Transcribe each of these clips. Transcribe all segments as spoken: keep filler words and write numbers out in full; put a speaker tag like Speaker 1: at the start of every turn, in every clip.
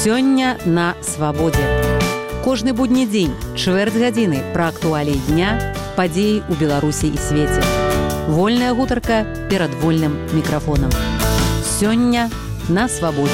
Speaker 1: Сёння на свабодзе. Кожны будні дзень, чвэрць гадзіны пра актуаліі дня, падзеі ў Беларусі і свеце. Вольная гутарка перад вольным мікрафонам. Сёння на свабодзе.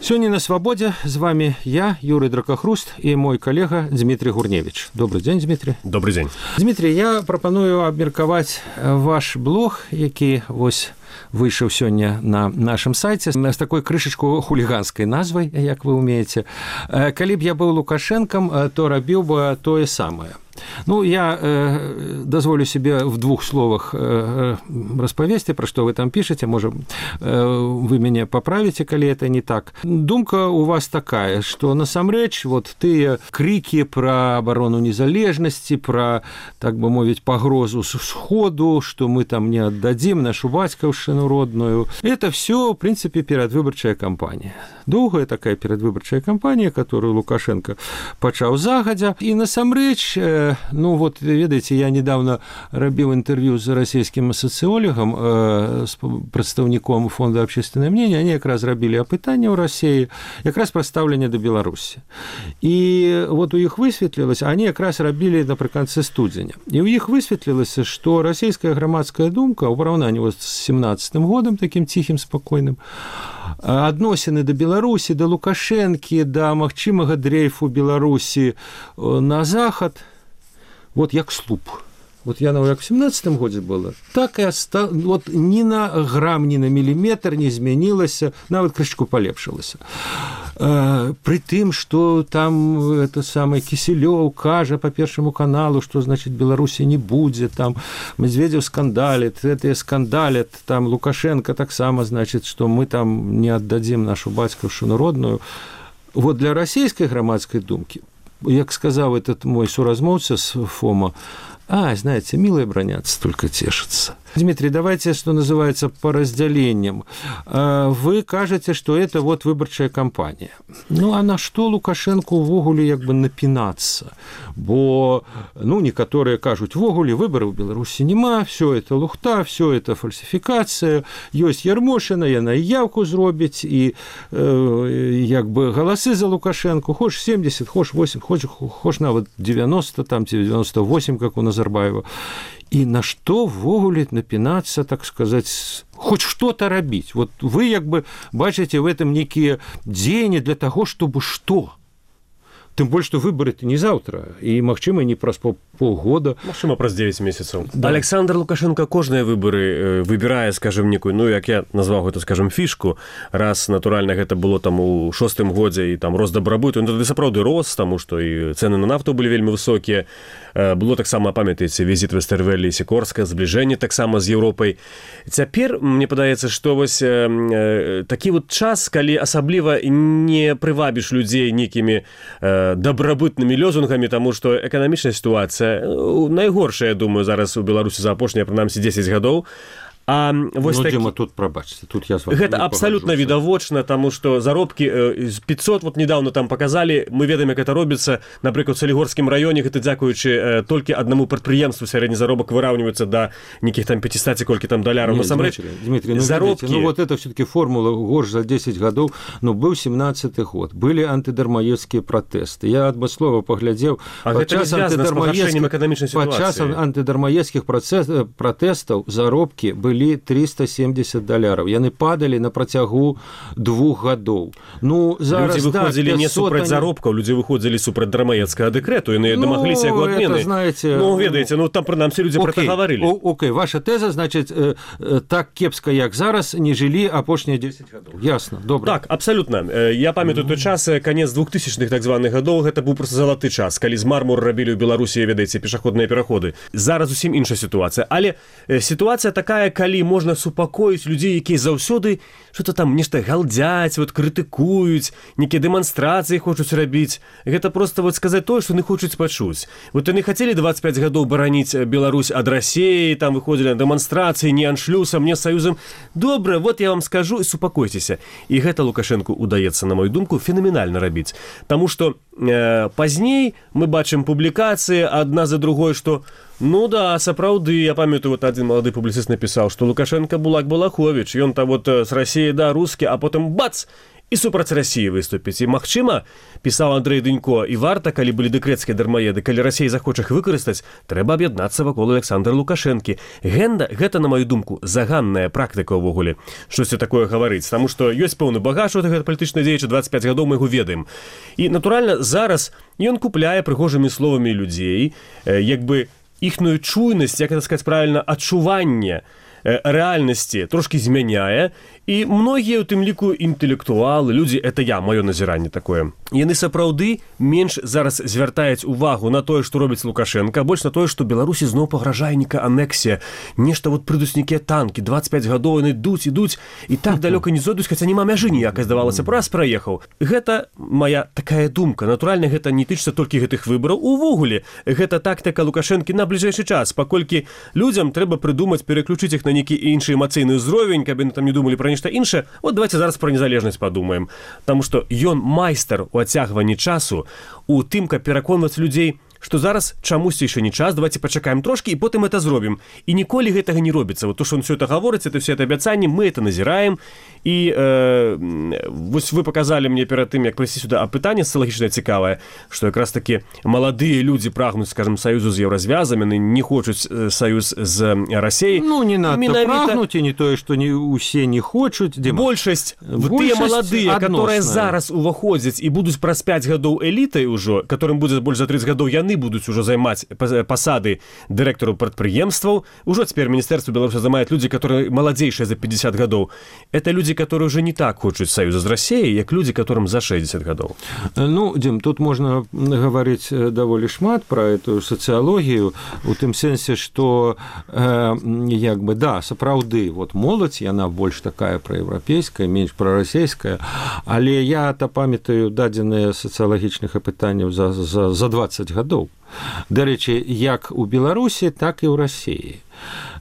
Speaker 2: Сёння на свабодзе з вами я, Юрий Дракахруст, і мой калега Дмитрий Гурневич. Добрый дзень, Дмитрий.
Speaker 3: Добрый дзень.
Speaker 2: Дмитрий, я прапаную абмеркаваць ваш блог, які вось выйшаў сёння на нашым сайце з такой крышачку хуліганскай назвай, як вы умееце. Калі б я быў Лукашэнкам, то рабіў бы тое самае. Ну, я э, дозволю себе в двух словах э, распавесці, пра што вы там пішаце, можа, э, вы мяне паправіце, калі это не так. Думка у вас такая, што насамрэч вот тыя крыкі пра абарону незалежнасці, пра, так бы мовіць, пагрозу з сходу, што мы там не аддадзім нашу бацькаўшчыну родную, это все, в принципе, перадвыбарчая кампанія. Доўгая такая перадвыбарчая кампанія, которую Лукашенко пачаў загадзя, і насамрэч, э, ну вот, ведаеце, я недавно рабіў інтэрв'ю з расійскім сацыёлагам, э, з прадстаўніком фонда «Общественное мнение», они якраз рабілі апытанне ў Расіі, якраз пра стаўленне да Беларусі. І вот у іх высветлілася, они якраз рабілі напрыканцы студзеня. І ў іх высветлілася, што расійская грамадская думка ў параўнанні вот з семнадцатым годам, такім ціхім, спакойным, адносіны да Беларусі, да Лукашэнкі, да магчымага дрейфу Беларусі на захад, вот як слуп. Вот я, як в семнадцатым годзе было, так і оста... вот ні на грам, ні на міліметр не змянілася, нават крышку палепшылася. Э, пры тым, што там это самае Кісілёў кажа па Першаму каналу, што, значыць, Беларусі не будзе, там Медведзеў скандалит, гэтыя скандалят, там Лукашенко таксама, значыць, што мы там не аддадзім нашу бацькаўшчыну родную. Вот для расійскай грамадскай думкі, як сказаў этот мой суразмоўца з ФОМа, а, знаете, милые бронятся, только тешатся. Дмитрий, давайте, что называется, по разделениям. Вы кажете, что это вот выборчая кампания. Ну, а на что Лукашенко ввогуле як бы напинаться? Бо, ну, некоторые кажут, ввогуле выборов в Беларуси нема, все это лухта, все это фальсификация, есть Ярмошина, яна и явку зробить, и э, як бы голосы за Лукашенко, хоч семьдесят, хоч восемьдесят, хоч, хоч нават девяносто, там девяносто восемь, как у Назарбаева. И на что ввогуле напинаться, так сказать, хоть что-то рабіць. Вот вы як бы бачите в этом некие дзеянні для того, чтобы что? Тым больш, што выбары-то не заўтра, і, магчыма, не праз полгода.
Speaker 3: Магчыма, праз девять месяцаў. Да. Александр Лукашенко кожныя выбары выбірае, скажем, некую, ну, як я назваў гэта, скажем, фішку, раз, натуральна, гэта было там у шостым годзе, і там рост дабрабыту, ну, тады сапраўды рос, таму што і цэны на нафту былі вельмі высокія. Было таксама, памятаеце, візіт Вестэрвэлі і Сікорска, збліжэнне таксама з Еўропай. Цяпер, мне падаецца, што вось э, такі вот час, калі асабліва не прывабіш людзей нейкімі э, дабрабытнымі лёзунгамі, таму што эканамічная сітуацыя найгоршая, я думаю, зараз у Беларусі за апошнія, прынамсі, дзесяць гадоў. А вось
Speaker 2: ну,
Speaker 3: такі...
Speaker 2: Дзіма, тут прабачце, тут я з вами
Speaker 3: Гэта абсалютна відавочна, таму што заробкі з пятьсот, вот недавно там показалі, мы ведаем, як это робіцца, напрыклад, у Салігорскім раёне, гэта дзякуючы толькі аднаму прадпрыемству сярэдні заробак выраўніваецца да нейкіх там пятьдесят колькі там даляраў. Насамрэч,
Speaker 2: Дмитрий, ну, заробкі... ну вот это все-таки формула горш за десять гадоў, ну быў семнадцаты год, былі антыдармаедскія пратэсты. Я адмыслова паглядзеў,
Speaker 3: а падчас антыдармаедскіх
Speaker 2: падчас антыдармаедскіх пратэстаў заробкі былі триста семьдесят даляраў. Яны падалі на працягу двух гадоў. Ну, зараз,
Speaker 3: людзі выходзілі да, не супраць заробкаў, людзі выходзілі супраць дармаедскага дэкрэту, яны ну, дамагліся яго адмены.
Speaker 2: Знаете,
Speaker 3: ну, ведаеце, ну там прынамсі людзі пра гэта гаварылі.
Speaker 2: Окей, ваша тэза, значыць, э, э, так кепска, як зараз, не жылі апошнія дзесяць гадоў. Ясна, добра.
Speaker 3: Так, абсалютна. Я памятаю той час, канец двухтысячных так званых гадоў, гэта быў проста залаты час, калі з мармуру рабілі ў Беларусі, ведаеце, пешаходныя пераходы. Зараз зусім іншая сітуацыя. Але сітуацыя такая, калі можна супакоіць людзей, якія заўсёды што-то там нешта галдзяць, вот крытыкуюць, нейкія дэманстрацыі хочуць рабіць. Гэта проста вот сказаць тое, што яны хочуць пачуць. Вот яны хацелі двадцать пять гадоў бараніць Беларусь ад Расіі, там выходзілі на дэманстрацыі, не аншлюсам, не саюзам. Добра, вот я вам скажу і супакойцеся. І гэта Лукашэнку удаецца, на мою думку, фенаменальна рабіць. Таму што э, пазней мы бачым публікацыі адна за другой, што Ну да, сапраўды, я памятаю, вот один молодой публицист написал, что Лукашенко Булак Балахович, и он-то вот с Россией, да, русский, а потом бац! І супраць Расіі выступіць. І, магчыма, пісаў Андрэй Дынько, і варта, калі былі дэкрэцкія дармаеды, калі Расія захоча іх выкарыстаць, трэба аб'яднацца вакол Александра Лукашэнкі. Гэнда, гэта, на маю думку, заганная практыка ўвогуле, штосьці такое гаварыць, таму што ёсць пэўны багаж у гэта палітычнай дзеяча, дваццаць пяць гадоў мы яго ведаем. І, натуральна, зараз ён купляе прыгожымі словамі людзей, як бы іхную чуйнасць, як это сказаць правільна, адчуванне рэальнасці трошкі змяняе, і многія, у тым ліку, інтэлектуалы, людзі, это я, маё назіранне такое, яны сапраўды менш зараз звяртаюць увагу на тое, што робіць Лукашенко, больш на тое, што Беларусі зноў пагражае нейкая анексія, нешта вот прыйдуць нейкія танкі, дваццаць пяць гадоў яны ідуць, ідуць, і так далёка не зойдуць, хаця няма мяжы ніякай, здавалася, раз праехаў. Гэта моя такая думка. Натуральна, гэта не тычыцца толькі гэтых выбараў. Увогуле, гэта тактыка Лукашэнкі на бліжэйшы час, паколькі людзям трэба прыдумаць, пераключыць іх на нейкі іншы эмацыйны ўзровень, каб яны там не думалі пра нешта іншае. Вот давайте зараз пра незалежнасць падумаем. Таму што ён майстар у адцягванні часу, у тым, каб пераконваць людзей, што зараз чамусьці яшчэ не час, давайте пачакаем трошкі, і потым это зробім. І ніколі гэтага не робіцца. Вот то, што он все это гаворыць, это все это абяцанні, мы это назіраем. І э, вось вы паказалі мне перад тым, як прыйсці сюда, а пытанне сацыялагічнае цікавае, што якраз такі маладыя людзі прагнуць, скажем, саюзу з еўразвязам, яны не хочуць саюз з Расіяй.
Speaker 2: Ну, не надо Менавіта... прагнуць, і не тое, што не усе не хочуць. Дема.
Speaker 3: Большасць, тыя маладыя, которые зараз уваходзяць і будуць праз пяць гадоў элітай ужо, которым будзе больш за трыццаць гадоў, яны будуць ужо займаць пасады дырэктараў прадпрыемстваў. Ужо цяпер Міністэрства Беларусі займаюць людзі, которые маладзейшыя за пятьдесят гадоў. Это людзі, которые уже не так хочуць саюза з Расіяй, як людзі, которым за шэсцьдзесят гадоў.
Speaker 2: Ну, Дим, тут можна гаварыць даволі шмат пра эту сацыялогію, у тым сэнсе, што э, як бы, да, сапраўды, вот моладзь, яна больш такая праеўрапейская, менш прарасійская, але я-то памятаю дадзеныя сацыялагічных апытанняў за, за, за двадцать гадоў. Дарэчы, як у Беларусі, так і ў Расіі.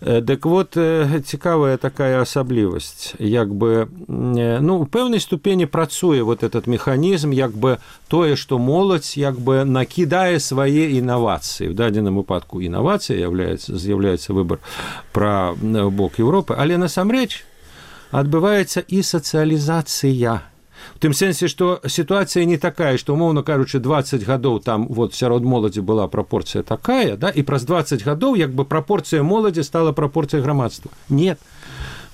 Speaker 2: Дык вот, цікавая такая асаблівасць, як бы, ну, у пэўнай ступені працуе вот этот механізм, як бы тое, што моладзь, як бы накідае свае інавацыі. В дадзеным выпадку інавацыя з'яўляецца выбар пра бок Еўропы, але насамрэч адбываецца і сацыялізацыя. В тым сэнсе, што сітуацыя не такая, што, умоўна кажучы, двадцать гадоў там вот сярод моладзі была прапорцыя такая, да, і праз двадцать гадоў як бы прапорцыя моладзі стала прапорцыяй грамадства. Нет.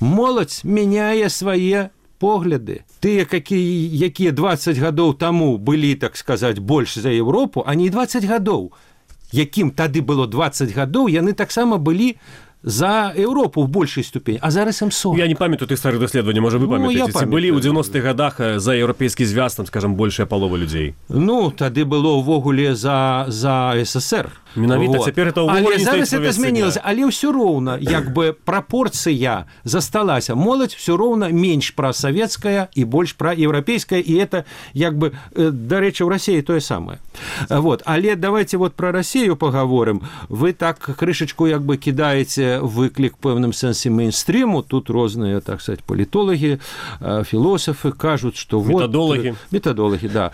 Speaker 2: Моладзь мяняе свае погляды. Тыя, якія двадцать гадоў таму былі, так сказаць, больш за Еўропу, а не двадцать гадоў. Якім тады было двадцать гадоў, яны таксама былі за Еўропу в большай ступені, а зараз ім сорок.
Speaker 3: Я не памятаю тых старых даследаванняў, можа вы памятаеце, ці былі ў дзевяностых гадах за еўрапейскі звяз, там, скажам, большая палова людзей.
Speaker 2: Ну, тады было ўвогуле за, за СССР.
Speaker 3: Менавіта, вот. Цяпер это ўвогуле
Speaker 2: не зараз это змянілася, але ўсё роўна, як бы прапорцыя засталася. Моладзь ўсё роўна менш прасавецкая і больш праеўрапейская, і это, як бы, дарэчы, ў Расіі тое самае. Вот. Але давайте вот пра Расію пагаворым. Вы так крышачку, як бы, кідаеце выклік пэўным сэнсе мейнстріму, тут розныя, так сказать, палітолагі, філосафы кажуць, што вот...
Speaker 3: Метадолагі.
Speaker 2: Метадолагі, да.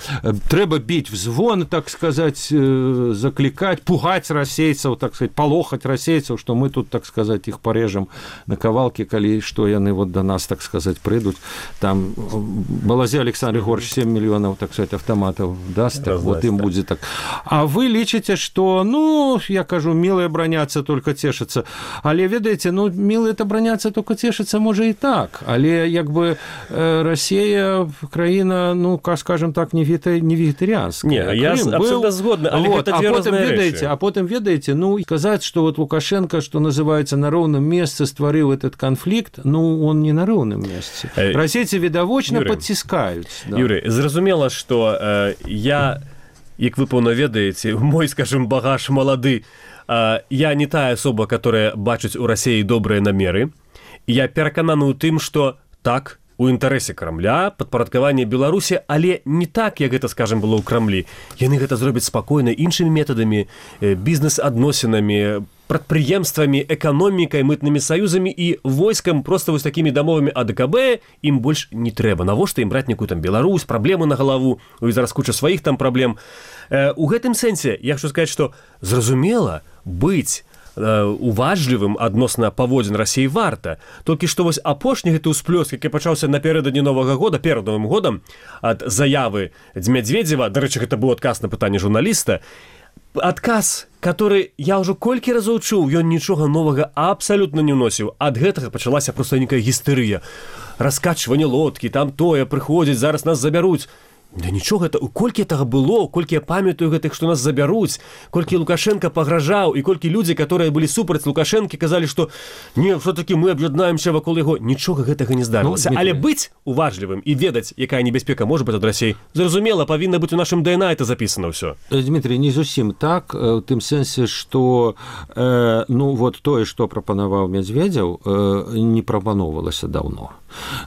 Speaker 2: Трэба біць в звон, так сказать, заклікаць, пугаць расейцаў, так сказать, палохаць расейцаў, што мы тут, так сказать, іх парежам на кавалкі, калі што яны вот да нас, так сказать, прыйдуць. Там Балазе Александр Григорьевич семь мільёнаў, так сказать, автоматаў даст, так, вот ім будзе так. А вы лічыце, што, ну, я кажу, милые браняцца, только цешацца. Але, ведаеце, ну, милые-то браняцца, только цешацца, можа і так. Але, як бы, Расія, краіна, ну, скажем так, не вегетарыянская.
Speaker 3: Не, я абсолютно згодна, але
Speaker 2: вот,
Speaker 3: гэта дзве розныя рэчы.
Speaker 2: А потым, ведаеце, ну, сказаць, што вот Лукашенко, што называецца, на роўным месцы стварыў этот канфлікт, ну, он не на роўным месцы. Э, Расейцы відавочна падціскаюць.
Speaker 3: Да. Юрый, зразумела, што э, я, як вы пэўна ведаеце, мой, скажем, багаж малады, я не тая асоба, которая бачыць у Расіі добрыя намеры. Я перакананы ў тым, што так, у інтарэсе Крамля, падпарадкаванне Беларусі, але не так, як гэта, скажем, было ў Крамлі. Яны гэта зробяць спакойна іншымі метадамі, бізнес-адносінамі, прадпрыемствамі, эканомікай, мытнымі саюзамі і войскам, проста вось такімі дамовамі АДКБ ім больш не трэба. Навошта ім браць некую там Беларусь, праблемы на галаву, і зараз куча сваіх там праблем. У гэтым сэнсе я хочу сказаць, што зразумела, быць уважлівым адносна паводзін Расіі варта. Толькі што вось апошні гэты ўсплёск, які пачаўся напярэдадні Новага года, перад Новым годам, ад заявы Медведзева, дарэчы, гэта быў адказ на пытанне журналіста, адказ, который я ўжо колькі разоў чуў, ён нічога новага абсалютна не ўносіў. Ад гэтага пачалася проста нейкая гістэрыя. Раскачванне лодкі, там тое, прыходзіць, зараз нас забяруць. Да нічога, гэта, колькі гэтага было, колькі я памятаю гэтых, што нас забяруць, колькі Лукашенко пагражаў, і колькі людзі, которые былі супраць Лукашэнкі, казалі, што не, все-таки мы аб'яднаемся вакол яго. Нічога гэтага не здарылася. Ну, але быць уважлівым і ведаць, якая небяспека можа быць ад Расіі, зразумела, павінна быць у нашым ДНК это запісана ўсё.
Speaker 2: Дмітрий, не зусім так, у тым сэнсе, што э, ну вот тое, што прапанаваў Медведзеў, э, не прапаноўвалася даўно.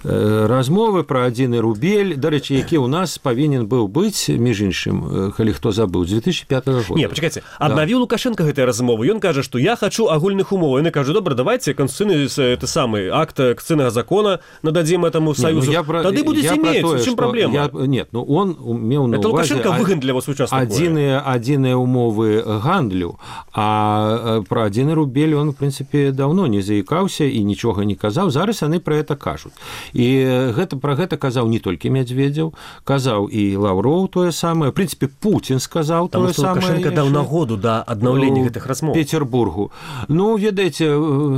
Speaker 2: Э, размовы пра адзіны рубель, дарэчы, які ў нас павінен быў быць, між іншым, калі хто забыў, з две тысячи пятого года.
Speaker 3: Не, пачакайце, аднавіў да. Лукашенко гэтыя размовы. Ён кажа, што я хачу агульных умоў. Яны кажа, добра, давайте канстытуцыйны это самы акт канстытуцыйнага закона нададзім этому союзу. Не, ну, про, тады будзе мець, у чым праблема?
Speaker 2: Я, нет, ну он меў на
Speaker 3: это
Speaker 2: увазе...
Speaker 3: Это Лукашенко выган для вас участку.
Speaker 2: Адзіныя, адзіныя умовы гандлю, а пра адзіны рубель он, в прынцыпе, даўно не заікаўся і нічога не казаў. Зараз яны пра гэта кажуць. І гэта, пра гэта казаў не толькі Медведзеў, казаў і Лаўроў тое самае. В прынцыпе, Путін сказаў тое самае.
Speaker 3: Лукашенко даў нагоду да аднаўлення гэтых размоў.
Speaker 2: Петербургу. Ну, ведаеце,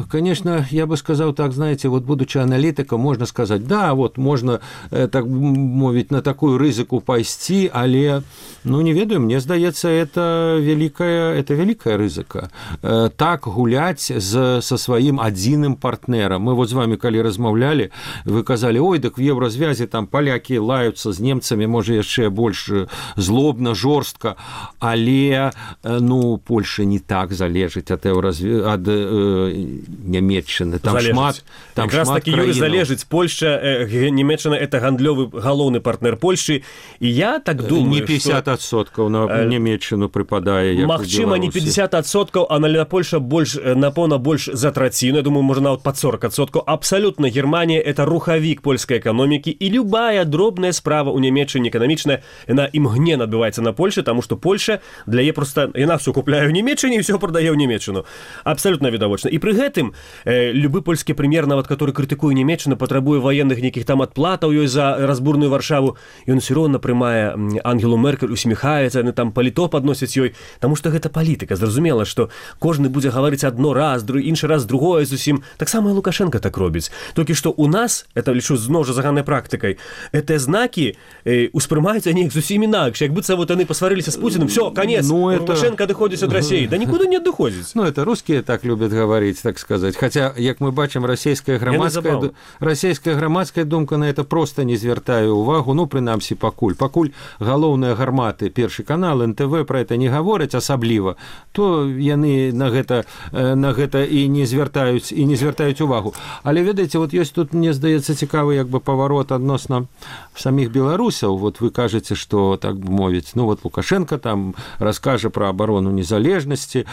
Speaker 2: конечно, я бы сказаў так, знаете, вот будучи аналітыкам, можна сказаць, да, вот можна, так мовіць, на такую рызыку пайсці, але, ну, не ведаю, мне здаецца, это великая, это великая рызыка. Так гуляць з, со сваім адзіным партнерам. Мы вот з вами, калі размаўлялі, вы казалі, ой, дык в Еўразвязе там палякі лаюцца з немцамі, можа, яшчэ больш злобна, жорстка, але, ну, Польша не так залежыць ад, ад э, Нямецчыны. Там залежыць. Шмат, там
Speaker 3: якраз
Speaker 2: шмат
Speaker 3: такі Юрый залежыць. Польша, э, Нямецчына – это гандлёвы галоўны партнер Польшы. І я так думаю,
Speaker 2: не пятьдесят адсоткаў на э, Нямецчыну прыпадае, як
Speaker 3: магчыма, не пятьдесят адсоткаў, а на Польша больш, напэўна, больш за траціну. Я думаю, можа, нават пад сорок адсоткаў. Абсалютна Германія – это рухавік польскай эканомікі, і любая дробная справа ў Нямецчыне эканамічная, яна імгненна адбываецца на Польше, таму што Польша для яе проста, яна все купляе ў Нямецчыне і все прадае ў Нямецчыну. Абсалютна відавочна. І пры гэтым э, любы польскі прэм'ер, нават который крытыкуе Нямецчыну, патрабуе ваенных нейкіх там адплатаў ёй за разбурную Варшаву, ён усё роўна прымае Ангелу Меркель, усміхаецца, яны там паліто падносяць ёй, таму што гэта палітыка. Зразумела, што кожны будзе гаварыць адно раз, друг, іншы раз другое зусім. Таксама і Лукашенко так робіць. Толькі што у нас, это лічу зноў жа заганнай практыкай, гэтыя знакі э, успрымаюцца неяк зусім інакш. Як быццам вот яны пасварыліся з Пуціным, все, конец, ну, это... Лукашенко адыходзіць ад Расіі. Да нікуды не адыходзіць.
Speaker 2: Ну, это русские так любят говорить, так сказать. Хотя, як мы бачым, расійская грамадская, расійская грамадская думка на это просто не звяртае увагу. Ну, прынамсі, пакуль. Пакуль галоўныя гарматы, Першы канал, эн тэ вэ пра это не гавораць асабліва, то яны на гэта, на гэта і не звяртаюць, і не звяртаюць увагу. Але, ведаеце, вот ёсць тут, мне здаецца, цікавы як бы паварот адносна самих беларусаў. Вот вы кажаце, што, так бы мовіць, ну, вот Лукашенко там раскажа пра абарону незалежнасці,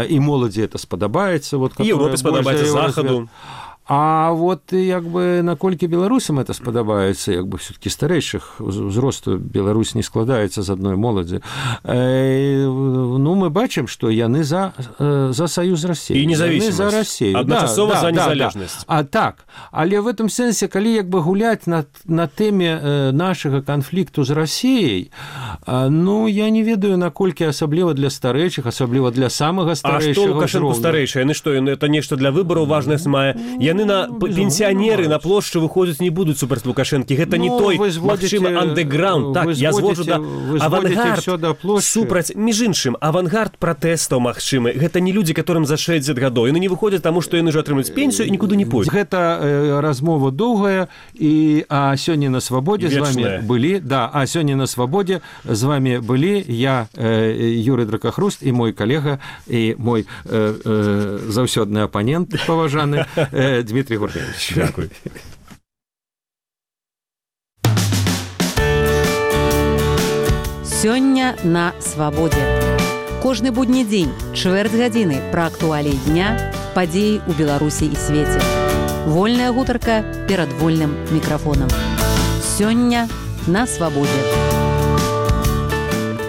Speaker 2: і моладзі это спадабаецца. Вот,
Speaker 3: і Европе спадабаецца захаду.
Speaker 2: А вот як бы наколькі беларусам это спадабаецца, як бы все-таки старэйшых узросту Беларусь не складаецца з адной моладзі. Э, ну, мы бачым, што яны за, за саюз Расіі.
Speaker 3: І независимость.
Speaker 2: За Расію.
Speaker 3: Адначасова
Speaker 2: да,
Speaker 3: за
Speaker 2: да,
Speaker 3: незалежнасць.
Speaker 2: Да, да. А так, але в этом сэнсе, калі як бы гуляць на, на тэме нашага канфлікту з Расіяй, ну, я не ведаю, наколькі асабліва для старэйшых, асабліва для самага старэйшага.
Speaker 3: А што Лукашенко старэйшы? Яны што, это нешта для выбараў важнасць мае? Яны на пенсіянеры на плошчы выходзяць не будуць супраць Лукашэнкі. Гэта не той, магчыма, андэграунд. Так, я зводжу да авангард супраць. Між іншым, авангард пратэстаў магчымы. Гэта не людзі, которым за шэсцьдзесят гадоў. Яны не выходзяць, таму што яны ж атрымаюць пенсію і нікуды не пойдуць.
Speaker 2: Гэта э, размова доўгая, і а сёння на свабодзе з вами былі, да, а сёння на свабодзе з вами былі я, э, Юрый Дракахруст, і мой калега, і мой э, э, заўсёдны апанент паважаны э, Дмитрий Гуркевич.
Speaker 3: Дякую.
Speaker 1: Сёння на свабодзе. Кожны будні дзень, чвэрць гадзіны пра актуаліі дня, падзеі ў Беларусі і свеце. Вольная гутарка перад вольным мікрафонам. Сёння на свабодзе.